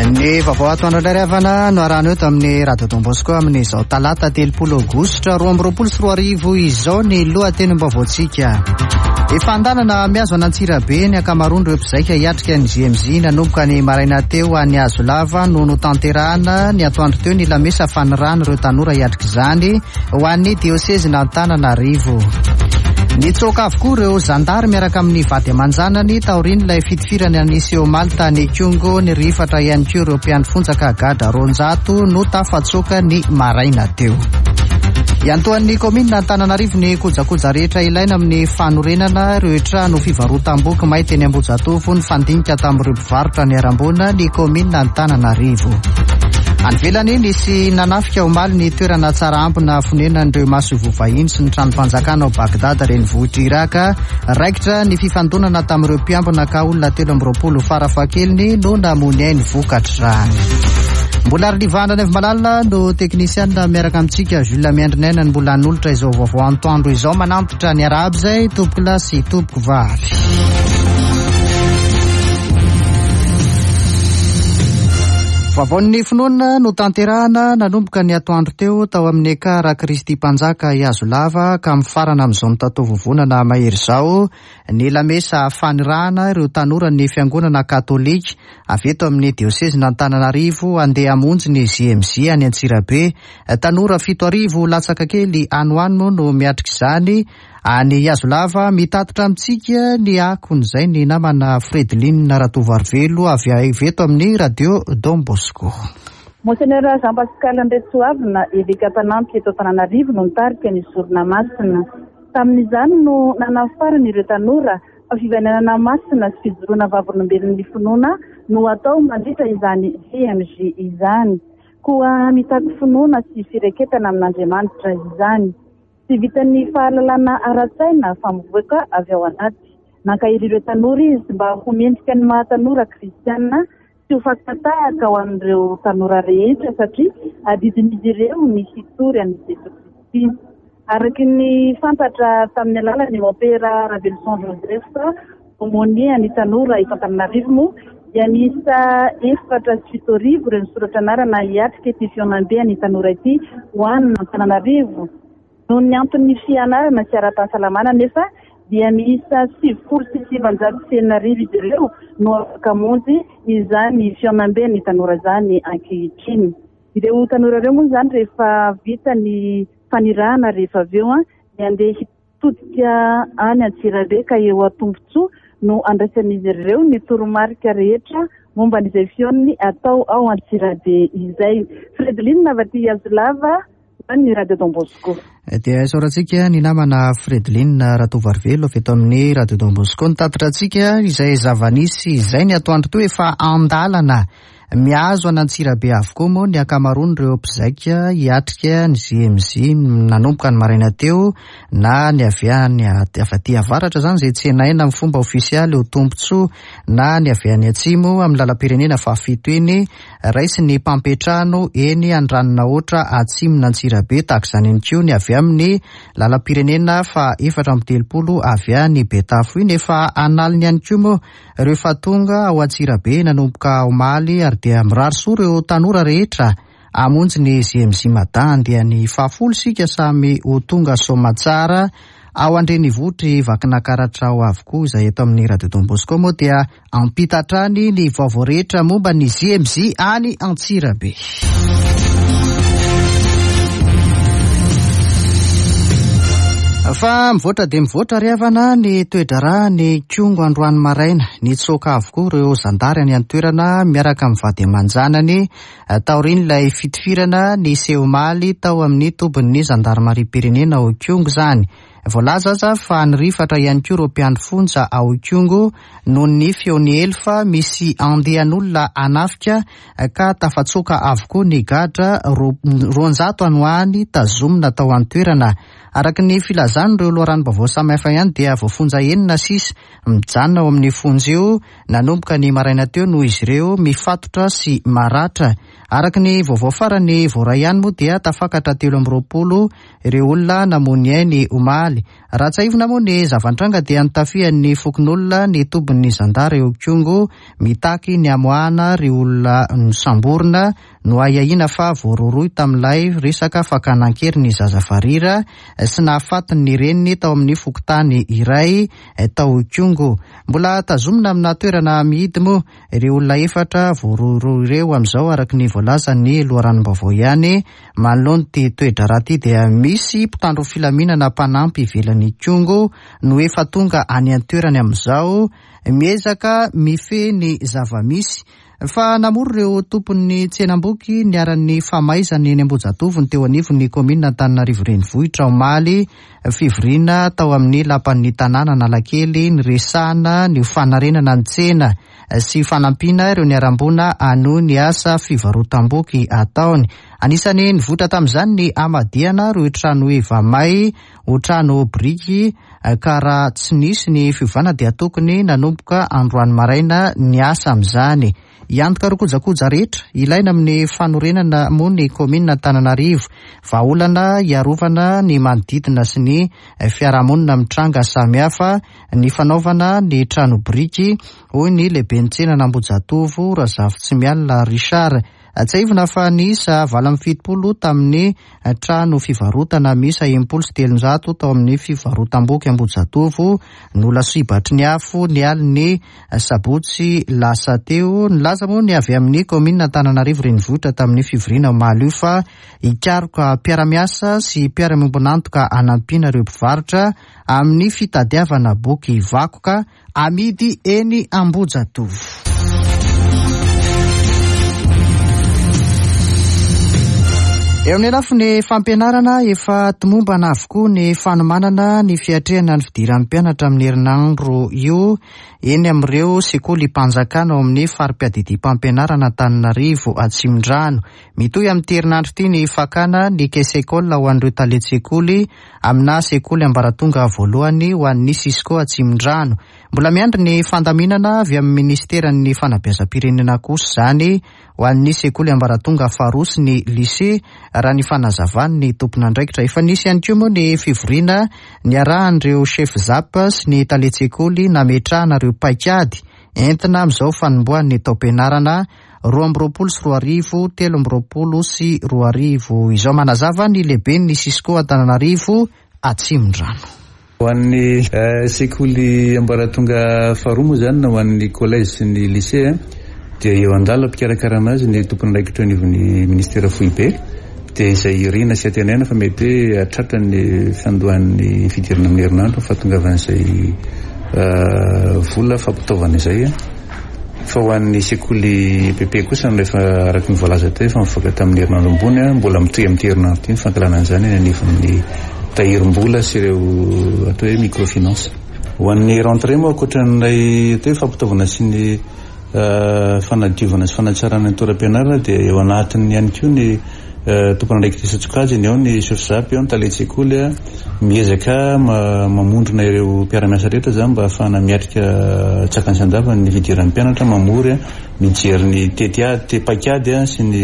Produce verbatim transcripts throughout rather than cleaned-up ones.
Ny vaovao atoandro indray havana no arahana eto amin'ny Radio Don Bosco amin'izao talata telopolo aogositra roa amby roapolo sy roa arivo izao ny lohatenim-baovaontsika. Efa an-dalana mihazo an'Antsirabe ny ankamaroan'ireo mpizaika hiatrika ny J M J nanomboka ny maraina teo any Hazolava no notanterahana ny atoandro teo ny lamesa fanirahana ireo tanora hiatrika izany ho an'ny diosezin'Antananarivo. Nitsoaka avokoa ireo zandary miaraka amin'ny vady aman-janany taorian'ilay fitifirana niseho omaly tany Ikongo. Nirifatra ihany koa ireo mpiandry fonjaka gadra roanjato no tafatsoaka ny maraina teo. Iantohan'ny kaominina Antananarivo ny kojakoja rehetra ilaina amin'ny fanorenana ireo trano fivarotam-boky may teny Ambohijatovo ny fandinika tamin'ireo mpivarotra ny aram-bola ny kaominina Antananarivo. Any ivelany nisy nanafika omaly ny toerana tsara ambina fonenan'ireo masoivoho vahiny sy ny tranom-panjakana ao Bagdad renivohitr'i Irak. Raikitra ny fifandonana tamin'ireo mpiambina ka olona telo amby roapolo farafahakeliny no namoy ainy vokatr'izany. Mbola Arivana Nevomalala no teknisiana miaraka amintsika. Jules Miandrinaina no mbola hanolotra izao vaovao antoandro izao. Manampitra ny arahaba izay tompoko lahy sy tompoko vavy. Vaovaon'ny finoana no tanterahana nanomboka ny atoandro teo tao amin'ny Ekara Kristy Mpanjaka Ihazolava ka mifarana amin'izao mitataovovonana mahery izao ny lamesa fanirahana ireo tanora ny fiangonana katolika avy eto amin'ny diosezin'Antananarivo handeha hamonjy ny J M J any Antsirabe. Tanora fito arivo latsaka kely any ho any moa no miatrika izany any Ihazolava. Mitatitra amintsika ny akon'izay ny namana Fredeline Ratovoarivelo avy eto amin'ny Radio Don Bosco. Monseigneur Jean Pascal Andriatsoavina, eveka mpanampy eto Antananarivo, no nitarika ny sorona masina. Tamin'izany no nanafarany ireo tanora fa fivainanana masina sy fijoroana vavolombelon'ny finoana no atao mandritra izany J M J izany. Koa mitaky finoana sy fireketana amin'Andriamanitra izany. Tsy vitan'ny fahalalana ara-tsaina fa mivoaka avy ao anaty. Nankahery ireo tanora izy mba ho mendrika ny maha tanora kristiana sy ho fakan-tahaka ho an'ireo tanora rehetra satria adidin'izy ireo ny hitory an'i Jesoa Kristy. Araka ny fantatra tamin'ny alalan'ny Mompera Raveloson Joseph, aumônier ny tanora eto Antananarivo moa dia miisa efatra sy fito arivo ireo nisoratra anarana hiatrika ity fihaonambe ny tanora ity ho an'ny Antananarivo. Noho ny anton'ny fianarana sy ara-pahasalamana nefa dia miisa sivifolo sy sivanjato sy enina arivo izy ireo no afaka hamonjy izany fihaonambe ny tanora izany ankehitriny. Ireo tanora ireo moa izany rehefa vita ny fanirahana rehefa avy eo dia handeha hitodika any Antsirabe ka eo Antombotsoa no andraisan'izy ireo ny toromarika rehetra momba an'izay fihaonany atao ao Antsirabe izay. Fredeline avy aty Ihazolava ny Radio Don Bosco. Dia isaorantsika ny namana Fredeline Ratovoarivelo avy eto amin'ny Radio Don Bosco nitatitra antsika izay zava-nisy izay ny atoandro teo. Efa an-dalana mihazo an'Antsirabe avokoa moa ny ankamaroan'ireo mpizaika hiatrika ny J M J nanomboka ny maraina teo na ny avy any avy aty avaratra izany izay tsenaina amin'ny fomba ofisialy ho tombontsoa na ny avy any atsimo amin'ny lalam-pirenena fahafito eny raisin'ny mpampiantrano eny Andranonahoatra atsimon'Antsirabe. Tahaka izany ihany koa ny avy amin'ny lalam-pirenena faha efatra amby telopolo avy any Betafo iny. Efa analiny ihany koa moa rehefa tonga ao Antsirabe nanomboka omaly ary dia mirary soa ireo tanora rehetra hamonjy ny J M J Mada andiany fahafolo isika samy ho tonga soamantsara ao an-drenivohitr'i Vakinankaratra ao avokoa. Izay eto amin'ny Radio Don Bosco moa dia ampita hatrany ny vaovao rehetra momba ny J M J any Antsirabe. Fa mivoatra dia mivoatra ry havana ny toe-draharaha ny Ikongo androany maraina. Nitsoaka avokoa ireo zandary any an-toerana miaraka amin'ny vady aman-janany taorian'ilay fitifirana niseho omaly tao amin'ny tobin'ny zandarimariam-pirenena ao Ikongo izany. Voalaza aza fa nirifatra ihany koa ireo mpiandry fonja ao Ikongo noho ny feon'ny elo fa misy andian'olona hanafika ka tafatsoaka avokoa ny gadra roanjato any ho any tazomina tao an-toerana. Araka ny filazan'ireo loharanom-baovao samihafa ihany dia voafonja enina sisa mijanona ao amin'ny fonja io nanomboka ny maraina teo noho izy ireo mifatotra sy maratra. Araka ny vaovao farany voaray ihany moa dia tafakatra telo amby roapolo ireo olona namoy ny ainy omaly. Raha tsiahivina moa ny zava-nitranga dia nitafihan'ny fokonolona ny tobin'ny zandary eo Ikongo mitaky ny hamoahana ireo olona nosamborina no ahiahiana fa voarohirohy tamin'ilay resaka fakana an-kery ny zaza varira sy nahafaty ny reniny tao amin'ny fokontany iray tao Ikongo. Mbola tazomina amina toerana mihidy moa ireo olona efatra voarohirohy ireo amin'izao araka ny voalazan'ny loharanom-baovao ihany. Manoloana ity toe-draharaha ity dia misy mpitandro filaminana mpanampy ivelan'ny Ikongo no efa tonga any an-toerany amin'izao miezaka mifehy ny zava-misy. Fa namory ireo tompon'ny tsenam-boky niharan'ny famaizana eny Ambohijatovo ny teo anivon'ny kaominina Antananarivo Renivohitra omaly. Fivoriana tao amin'ny lapan'ny tanàna Analakely niresahana ny fanarenana ny tsena sy fanampiana ireo niharam-boina hanohy ny asa fivarotam-boky ataony. Anisan'ny nivoitra tamin'izany ny hamadihana ireo trano heva may ho trano biriky ka raha tsy nisy ny fiovana dia tokony nanomboka androany maraina ny asa amin'izany. Hiantoka ireo kojakoja rehetra ilaina amin'ny fanorenana moa ny kaominina Antananarivo. Vahaolana hiarovana ny manodidina sy ny fiarahamonina mitranga samihafa ny fanaovana ny trano biriky, hoy ny lehiben'ny tsenan'Ambohijatovo Razafintsimialina Richard. Tsiahivina fa niisa valo amby fitopolo tamin'ny trano fivarotana miisa enimpolo sy telonjato tao amin'ny fivarotam-boky Ambohijatovo no lasibatry ny afo ny alin'ny sabotsy lasa teo. Nilaza moa ny avy amin'ny kaominina Antananarivo Renivohitra tamin'ny fivoriana omaly io fa hikaroka mpiara-miasa sy mpiara-miombon'antoka hanampiana ireo mpivarotra amin'ny fitadiavana boky vakoka amidy eny Ambohijatovo. Eo amin'ny lafiny fampianarana, efa tomombana avokoa ny fanomanana ny fiatrehana ny fidiran'ny mpianatra amin'ny herinandro io eny amin'ireo sekolim-panjakana ao amin'ny fari-piadidiam-pampianarana Antananarivo Atsimondrano. Mitohy amin'ity herinandro ity ny fakana ny caisse école ho an'ireo talen-tsekoly amina sekoly ambaratonga voalohany ho an'ny Cisco Atsimondrano. Mbola miandry ny fandaminana avy amin'ny ministeran'ny fanabeazam-pirenena kosa izany ho an'ny sekoly ambaratonga faharoa sy ny lycée, raha ny fanazavan'ny tompon'andraikitra. Efa nisy ihany koa moa ny fivoriana niarahan'ireo chef zap sy ny talen-tsekoly nametrahana ireo paikady entina amin'izao fanombohan'ny taom-pianarana roa amby roapolo sy roa arivo telo amby roapolo sy roa arivo izao. Manazava ny lehiben'ny Cisco Antananarivo Atsimondrano. Ho an'ny sekoly ambaratonga faharoa moa zany na ho an'ny collège sy ny lycée dia eo an-dalam-pikarakarana azy ny tompon'andraikitra anivon'ny ministera foibe, dia izay irina sy antenaina fa mety hoe hatratra ny fiandohan'ny fidirana amin'ny herinandro fahatongavan'izay vola fampitaovana izay. Fa ho an'ny sekoly E P P kosa rehefa araka ny voalaza teo efa mivoaka tamin'ny herinandro ambony, mbola mitohy amin'ity herinandro ity ny fankalana an'izany eny anivon'ny tahirim-bola sy ireo atao hoe microfinance. Ho an'ny rentrée moa ankoatran'ilay atao hoe fampitaovana sy ny fanadiovana sy fanatsarana ny toeram-pianarana dia eo anatiny ihany koa ny tompon'andraikitra isan-tsokajiny, eo ny chef zap, eo ny talen-tsekoly, miezaka mamondrona ireo mpiara-miasa rehetra zany mba ahafahana miatrika tsakany sy andavany ny fidiran'ny mpianatra, mamory, mijery ny tetiady, paikady sy ny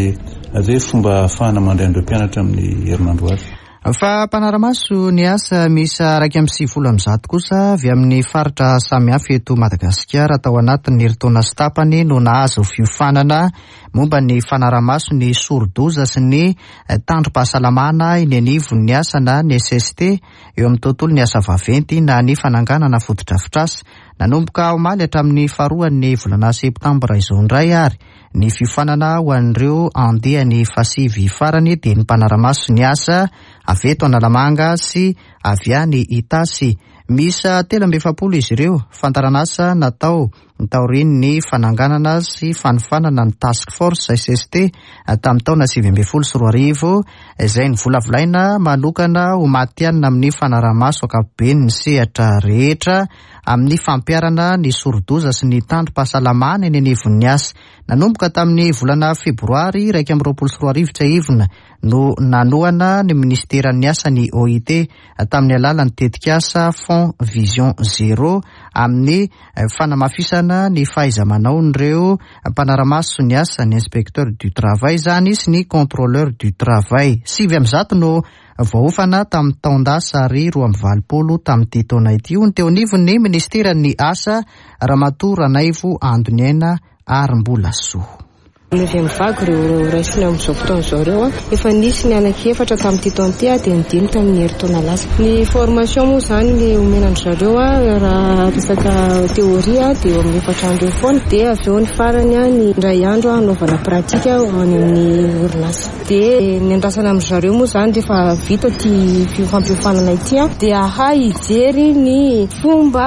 atao hoe fomba ahafahana mandray an'ireo mpianatra amin'ny herinandro avy. Fa mpanara-maso ny asa miisa iraika amby sivifolo amby zato kosa avy amin'ny faritra samihafa eto Madagasikara tao anatin'ny herintaona sy tapany no nahazo fiofanana momba ny fanara-maso ny sorodoza sy ny tandrom-pahasalamana eny anivon'ny asa na ny S S T eo amin'ny tontolon'ny asa vaventy na ny fananganana fotodrafitrasa. Nanomboka omaly hatramin'ny faharoan'ny volana septambra izao indray ary ny fiofanana ho an'ireo andiany fahasivy farany dia ny mpanara-maso ny asa avy eto Analamanga sy avy any Itasy. Miisa telo amby efapolo izy ireo. Fandaharanasa natao taorian'ny fananganana sy fanofanana ny Task Force S S T tamin'ny taona sivy ambin'ny folo sy roa arivo izay novolavolaina manokana ho matihanina amin'ny fanaraha-maso ankapobeny ny sehatra rehetra amin'ny fampiharana ny sorodoza sy ny tandrom-pahasalamana eny anivon'ny asa. Nanomboka tamin'ny volana febroary iraika amby roapolo sy roa arivo tsiahivina no nanohana ny ministeran'ny asa ny O I T tamin'ny alalan'ny tetikasa Fonds Vision Zéro amin'ny fanamafisana Fanamafisana ny fahaiza-manaon'ireo mpanara-maso ny asa, ny inspecteur du travail izany sy ny contrôleur du travail. Sivy amby zato no voaofana tamin'ny taon-dasa ary roa amby valopolo tamin'ity taona ity, hoy ny teo anivon'ny ministeran'ny asa, Ramatoa Ranaivo Andoniaina Arimbolasoa. Neuvième vague ireo raisina amin'izao fotoana izao ireo, efa nisy ny anankiefatra tamin'ity taona ity, dia ny dimy tamin'ny herintaona lasa. Ny formation moa izany ny omena an-dry zareo, raha resaka théorie dia eo amin'ny efatra andro eo foana, dia avy eo ny farany ny indray andro hanaovana pratique any amin'ny orinasa. Dia ny andrasana amin-dry zareo moa izany rehefa vita ity fampiofanana ity dia hahay hijery ny fomba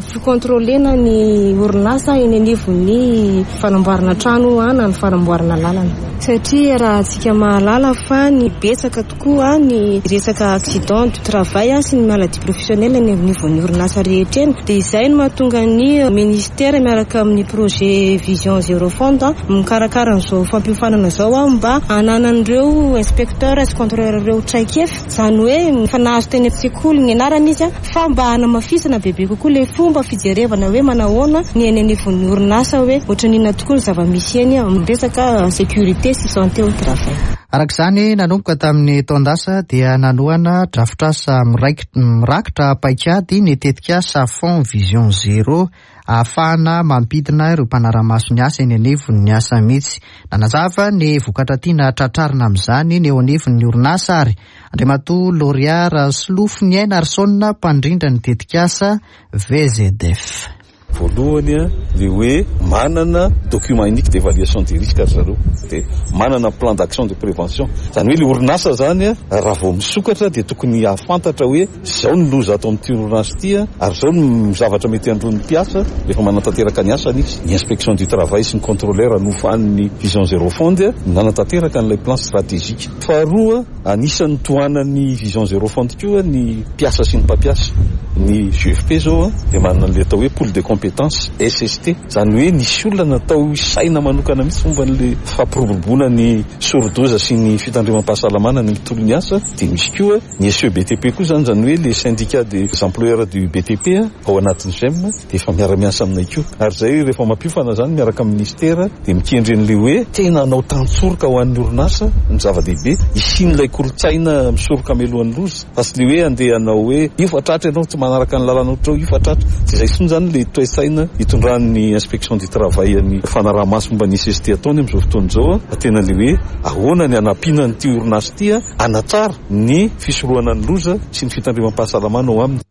fikontrolena ny orinasa eny anivon'ny fanamboarana trano na ny fanamboarana lalana, satria raha antsika mahalala fa ny betsaka tokoa ny resaka accident du travail sy ny maladie professionnelle ny anivon'ny orinasa rehetra eny. Dia izay no mahatonga ny ministera miaraka amin'ny projet Vision Zéro Fond mikarakara an'izao fampiofanana izao mba hananan'ireo inspecteur sy contrôleur ireo traikefa, izany hoe efa nahazo teny an-tsekoly ny anarana izy, fa mba hanamafisana bebe kokoa ilay fomba fijerevana hoe manahoana ny eny anivon'ny orinasa, hoe ohatran'inona tokoa ny zava-misy eny amin'ny resaka sécurité sy santé au travail. Araka izany, nanomboka tamin'ny taon-dasa dia nanohana drafitrasa mirakitra paikady ny tetikasa Fonds Vision Zéro ahafahana mampidina ireo mpanara-maso ny asa eny anivon'ny asa mihitsy. Nanazava ny vokatra tiana tratrarina amin'izany ny eo anivon'ny orinasa ary Andriamatoa Lauréat Solofoniaina Arsona, mpandrindra ny tetikasa V Z F. Voalohany a, le hoe manana document unique d'évaluation des risques ry zareo, de manana plan d'action de prévention. Zany hoe le orinasa zany a, raha vao misokatra dia tokony ahafantatra hoe zao ny loza ato amin'ity orinasa ity a, ary zao ny zavatra mety andron'ny mpiasa rehefa manatanteraka ny asany izy. Ny inspection du travail sy ny contrôleur nofan'ny Vision Zéro Fond a nanatanteraka an'ilay plan stratégique. Faharoa, anisan'ny tohanan'ny Vision Zéro Fond koa ny mpiasa sy ny mpampiasa. Ny G F P zao a dia manana an'ilay atao hoe pool de compétence S S T, zany hoe nisy olona natao saina manokana mihitsy momba n'le fampiroboroboana ny sorodoza sy ny fitandremam-pahasalamana ny tontolo ny asa. Dia misy koa ny S E B T P koa zany, zany hoe le syndicat des employeurs du B T P ao anatin'ny GEM, dia efa miara-miasa aminay koa. Ary zay rehefa mampiofana zany miaraka amin'ny ministera dia mikendry an'le hoe tena hanao tantsoroka ho an'ny orinasa. Ny zava-dehibe isian'ilay kolontsaina misoroka mialohan'ny loza, fa tsy le hoe andeha hanao hoe io fa tratra ianao, tsy manaraka ny lalana ohatra io fa tratra. Tsy izay intsony zany le toe-tsaina hitondran'ny inspection du travail ny fanaraha-maso momba ny S S T ataony amin'izao fotoana izao, fa tena le hoe ahoana ny hanampiana nyity orinasa ity a hanatsara ny fisorohana ny loza sy ny fitandremam-pahasalamana ao aminy.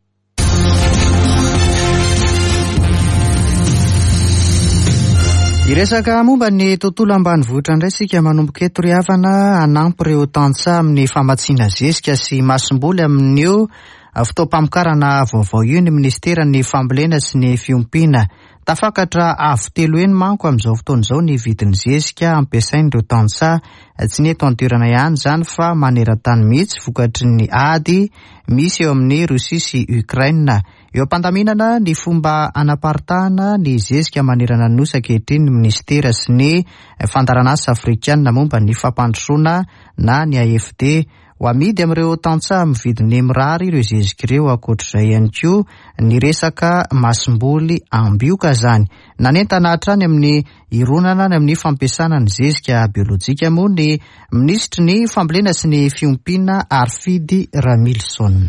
Hiresaka momba ny tontolo ambanivohitra indray isika manomboka eto ry havana. Hanampy ireo tantsaha amin'ny famatsiana zezika sy masomboly amin'io fotoam-pamokarana vaovao io ny ministeran'ny fambolena sy ny fiompiana. Tafakatra avo telo heny manko amin'izao fotoana izao ny vidin'ny zezika ampiasain'ireo tantsaha, tsy ny eto an-toerana ihany izany fa maneran-tany mihitsy, vokatry ny ady misy eo amin'ny Rosia sy Ukraine. Eo am-pandaminana ny fomba anaparitahana ny zezika manerana ny nosy ankehitriny ny ministera sy ny fandaharanasa afrikanina momba ny fampandrosoana na ny A F D. Ho amidy amin'ireo tantsaha amin'ny vidiny mirary ireo zezika ireo. Ankoatr'izay ihany koa ny resaka masomboly ambioka zany. Nanentana hatrany amin'ny ironana ny amin'ny fampiasana ny zezika biolojika moa ny minisitry ny fambolena sy ny fiompiana, Harifidy Ramilison.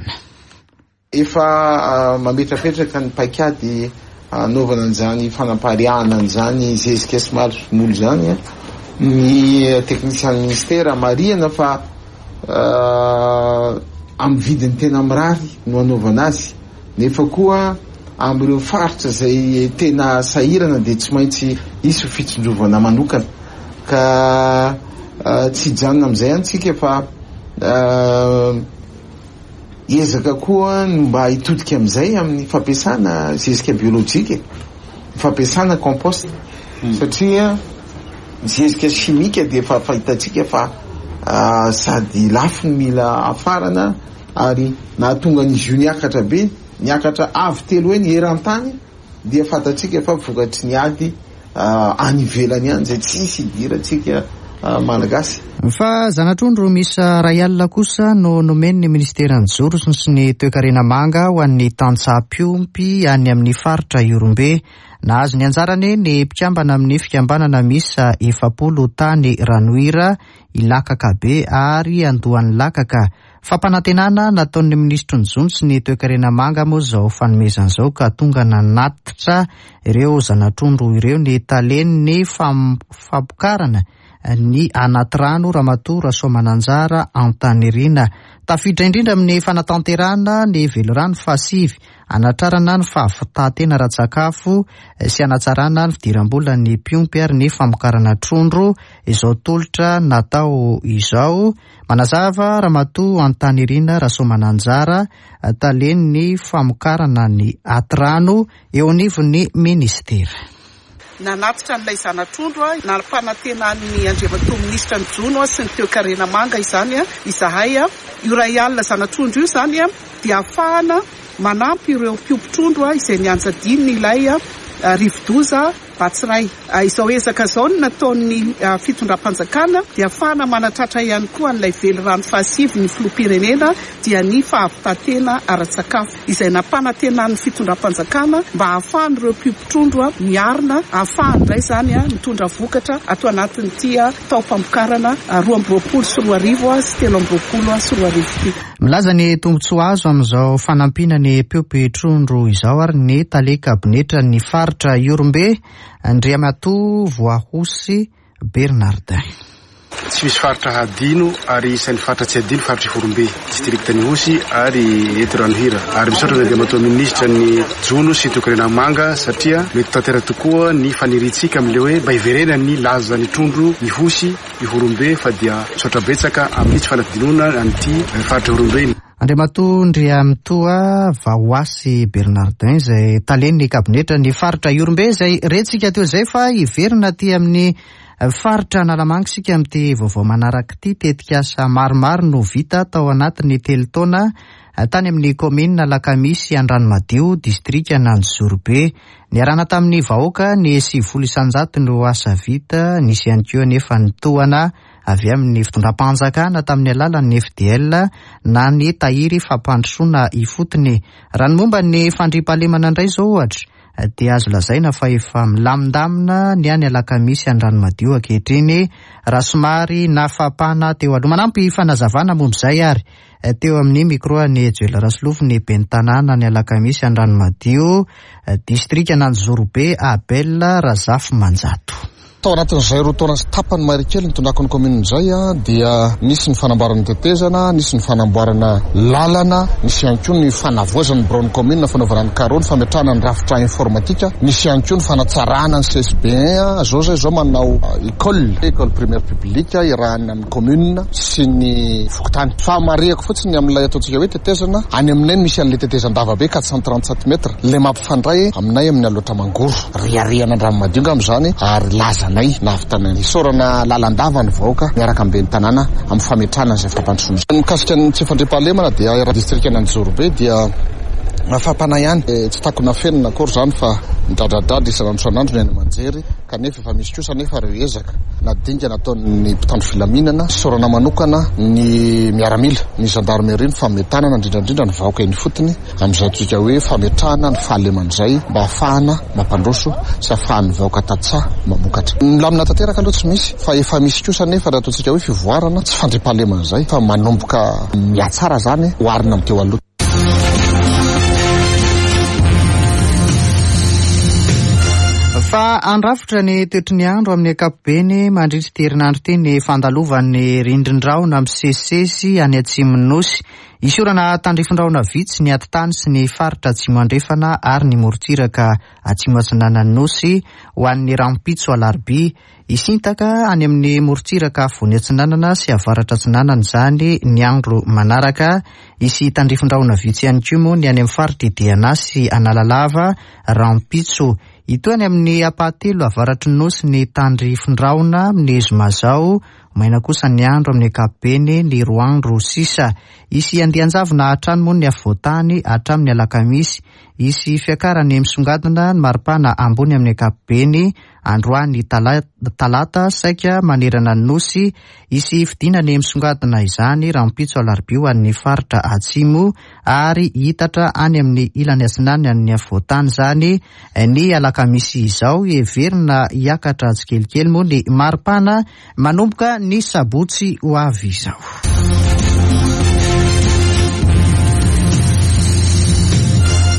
Efa mametrapetraka ny paikady anaovana an'izany fanapariahana an'izany zezika sy masomboly zany ny teknisian'ny ministera. Marihana fa amin'ny vidiny tena mirary no anaovana azy, nefa koa amin'ireo faritra zay tena sahirana dia tsy maintsy isy fitsinjovana manokana, ka tsy hijanona amin'izay ihany tsika fa ezaka koa no mba hitodika amin'izay amin'ny fampiasana zezika biolojika, fampiasana compost, satria zezika chimique dia efa fahitantsika fa sady lafo ny mila afarana ary nahatonga an'izy io niakatra be, niakatra avo telo heny eran-tany, dia fantatsika fa vokatry ny ady any ivelany any zay tsisy idirantsika malagasy. Fa zana-trondro miisa iray alina kosa no nomen'ny ministeran'ny Joro sy ny Toekarena Manga ho an'ny tantsaha mpiompy any amin'ny faritra Ihorombe. Nahazo ny anjarany ny mpikambana amin'ny fikambanana miisa efapolo tany Ranohira, Ilakakabe ary Andohan'Ilakaka. Fampanantenana nataon'ny minisitry ny Jono sy ny Toekarena Manga moa izao fanomezana izao ka tonga nanatitra ireo zana-trondro ireo ny talen'ny fampokarana ny anaty rano Ramatoa Rasoamananjara Antanirina. Tafiditra indrindra amin'ny fanatanterahana ny velirano fahasivy anatrarana ny fahavitantena ara-tsakafo sy anatsarana ny fidiram-bolan'ny mpiompy ary ny famokarana trondro izao tolotra natao izao. Manazava Ramatoa Antanirina Rasoamananjara, talen'ny famokarana ny anaty rano eo anivon'ny ministera. Nanatitra an'ilay zana-trondro nampanantenan'ny Andriamatoa minisitra ny Jono sy ny Toekarena Manga izany izahay. Io iray alina zana-trondro io izany dia ahafahana manampy ireo mpiompy trondro izay nianjadiany ilay rivodoza Batsiray. Izao ezaka izao no nataon'ny fitondram-panjakana dia ahafahana manatratra ihany koa an'ilay velirano fahasivy ny filoham-pirenena dia ny fahavitantena ara-tsakafo izay nampanantenan'ny fitondram-panjakana mba ahafahan'ireo mpiompy trondro miarina, ahafahany indray izany mitondra vokatra ato anatin'ity taom-pamokarana roa amby roapolo sy roa arivo sy telo amby roapolo sy roa arivo ity. Milaza ny tombontsoa azo amin'izao fanampiana ny mpiompy trondro izao ary ny tale kabinetra ny faritra Ihorombe, Andriamatoa Voahosy Bernardin. Tsy misy faritra hadino ary isan'ny faritra tsy hadino faritra Ihorombe, distriktan'Ihosy ary eto Ranohira. Ary misaotra ny Andriamatoa minisitra ny Jono sy Toekarena Manga satria mety tanteraka tokoa ny faniriantsika amin'ilay hoe mba hiverenany lazan'ny trondro Ihosy Ihorombe, fa dia misaotra betsaka amin'ny tsy fanadinoana an'ity faritra Ihorombe. Andriamatoa Andriamatoa Vahoasy Bernardin izay talen'ny kabinetra ny faritra Ihorombe izay rentsika teo izay, fa hiverina aty amin'ny faritra Analamanga isika amin'ity vaovao manaraka ity. Tetikasa maromaro no vita tao anatin'ny telo taona tany amin'ny kaominina Alakamisy Andranomadio, distrikan'Anjozorobe. Niarahana tamin'ny vahoaka ny sivifolo isan-jato no asa vita, nisy ihany koa nefa ny tohana avy amin'ny fitondram-panjakana tamin'ny alalan'ny F D L na ny tahiry fampandrosoana ifotony. Raha ny momba ny fandriampahalemana indray izao ohatra dia azo lazaina fa efa milamindamina ny any Alakamisy Andranomadio ankehitriny raha somary nafapana teo aloha. Manampy fanazavana momba izay ary teo amin'ny micro an'i Joel Rasolofo ny ben'ny tanàna ny Alakamisy Andranomadio, distrikan'Anjozorobe, Abel Razafimanjato. Tao anatin'izay roa taona sy tapany mahery kely nitondrako ny commune izay dia nisy ny fanamboarana tetezana, nisy ny fanamboarana lalana, nisy ihany koa ny fanavoazana ny biraon'ny commune, fanaovana ny carreau, ny fametrahana ny rafitra informatika, nisy ihany koa ny fanatsarana ny C S B un. Zao zay zao manao école, école primaire publique iarahana amin'ny commune sy ny fokontany. Fa marihako fotsiny amin'ilay ataontsika hoe tetezana, any aminay misy an'ilay tetezan-dava be quatre cent trente-sept mètres, ilay mampifandray aminay amin'ny Alaotra Mangoro, riarihana Andranomadio angamba izany, ary laza nay nahavitana ny sorana lalandava ny vahoaka miaraka amin'ny ben'ny tanàna amin'ny fametrahana izay fampandrosoana. Mikasika ny tsy fandriampahalemana dia raha distrikan'Anjozorobe dia mafampana ihany, tsy takona fenina akory izany fa midradradradra isan'andro isan'andro ny any aman-jery, kanefa efa misy kosa nefa ireo ezaka na dingana ataon'ny mpitandro filaminana. Sorana manokana ny miaramila, ny gendarmerie, ny fametanana indrindra indrindra ny vahoaka eny ifotony amin'izay antsika hoe fametrahana ny fahalemana izay mba ahafahana mampandroso sy ahafahan'ny vahoaka tantsaha mamokatra. Milamina tanteraka aloha tsy misy, fa efa misy kosa nefa raha ataontsika hoe fivoarana tsy fandriampahalemana izay fa manomboka mihatsara izany oharina amin'ny teo aloha. Fa andrafitra ny toetry ny andro amin'ny ankapobeny mandritra ity herinandro ity ny fandalovan'ny rindrin-drahona misesisesy any atsimon'ny Nosy. Hisy orana tandrifin-drahona vitsy ny atitany sy ny faritra atsimo andrefana ary ny morontsiraka atsimo atsinanan'ny Nosy ho an'ny rahampitso alarobia. Hisintaka any amin'ny morontsiraka afovoany atsinanana sy avaratra atsinanana izany ny andro manaraka. Hisy tandrifin-drahona vitsy ihany koa moa ny any amin'ny faritra Diana sy Analalava rahampitso. Hitohy any amin'ny ampahatelo avaratry ny Nosy ny tandrifin-drahona amin'ny zoma izao Maina kosa ny andro amin'ny ankapobeny ny roa andro sisa. Hisy andian-javona hatrany moa ny afovoan-tany hatramin'ny alakamisy. Hisy fiakarany misongadina ny maripana ambony amin'ny ankapobeny androany talata saika manerana ny nosy. Hisy fidinany misongadina izany rahampitso alarobia ho an'ny faritra atsimo ary hitatra any amin'ny ilany atsinanan'ny afovoan-tany izany ny alakamisy izao. Heverina hiakatra tsikelikely moa ny maripana manomboka ny sabotsy ho avy izao.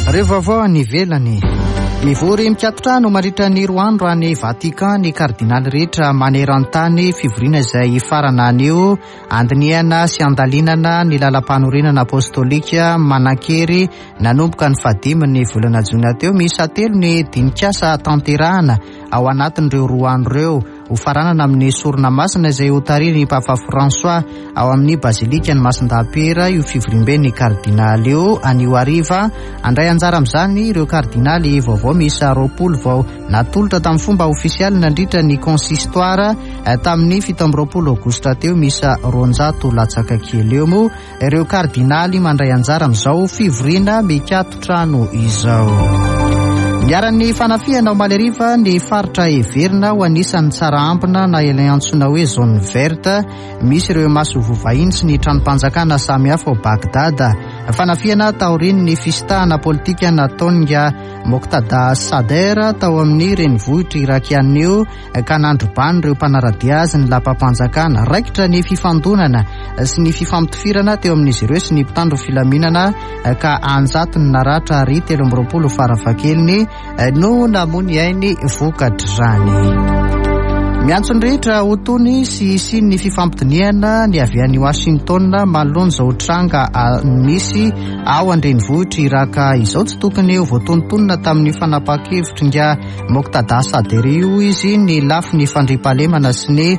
Ireo vaovao any ivelany. Mivory mikaton-trano mandritra ny roa andro any Vatican ny kardinaly rehetra maneran-tany, fivoriana izay hifarana anio andinihana sy andalinana ny lalam-panorenana apostolika manan-kery nanomboka ny fahadimy ny volana jona teo. Miisa telo ny dinikasa tanterahana ao anatin'ireo roa andro ireo. Ho faranana amin'ny sorona masina izay ho tarihin'ny Papa François ao amin'ny bazilika ny Masindahy-Piera io fivoriambe ny kardinaly io anio hariva. Handray anjara amin'izany ireo kardinaly vaovao miisa roapolo vao natolotra tamin'ny fomba ofisialy nandritra ny consistoire tamin'ny fito amby roapolo aogositra teo. Miisa roanjato latsaka kely eo moa ireo kardinaly mandray anjara amin'izao fivoriana mikaton-trano izao. Niharan'ny fanafihana omaly hariva ny faritra heverina ho anisan'ny tsara ambina na ilay antsoina hoe zone verte misy ireo masoivoho vahiny sy ny tranom-panjakana samihafa ao Bagdad. Fanafihana taorian'ny fisintahana politika nataon'i Moqtada Sadr tao amin'ny renivohitra irakiana io ka nandrobany ireo mpanara-dia azy ny lapam-panjakana. Raikitra ny fifandonana sy ny fifampitifirana teo amin'izy ireo sy ny mpitandro filaminana ka anjatony naratra ary telo amby roapolo farafahakeliny no namoy ainy vokatr'izany. Miantso ny rehetra ho tony sy hisian'ny fifampidinihana ny avy any Washington manoloana izao tranga misy ao an-drenivohitra Iraka izao. Tsy tokony ho voatonontonona tamin'ny fanapahan-kevitry Moqtada Sadr io izy ny lafiny fandriampahalemana sy ny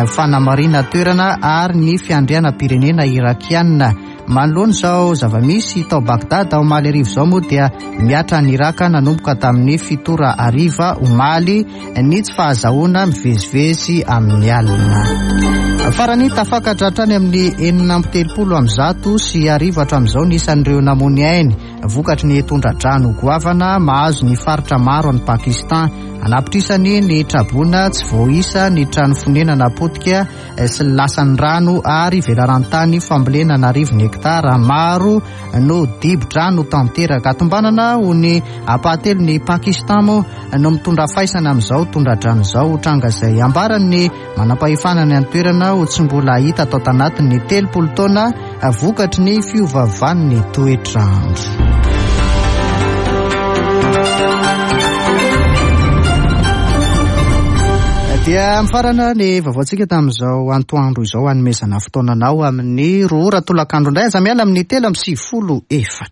fanamarina toerana ary ny fiandrianam-pirenena irakiana. Manoloana izao zava-misy tao Bagdad omaly hariva izao moa dia miatra ny Iraka nanomboka tamin'ny fito ora hariva omaly ny tsy fahazahoana mivezivezy amin'ny alina. Farany tafakatra hatrany amin'ny enina amby telopolo amby zato sy arivo hatramin'izao ny isan'ireo namoy ainy vokatry ny tondra-drano goavana mahazo ny faritra maro any Pakistan. Anapitrisany ny traboina tsy voaisa ny trano fonenana potika sy lasan'ny rano ary velaran-tany fambolena an'arivony hektara maro no dibo-drano tanteraka. Tombanana ho ny ampahatelon'ny Pakistan moa no mitondra faisana amin'izao tondra-drano izao, tranga izay ambaran'ny manam-pahefana ny an-toerana ho tsy mbola hita tao tanatin'ny telopolo taona vokatry ny fiovaovan'ny toetrandro. Dia mifarana ny vaovaontsika tamin'izao antoandro izao, hanomezana fotoananao amin'ny roa ora tolakandro indray. Aza miala amin'ny telo amby sivifolo efatra.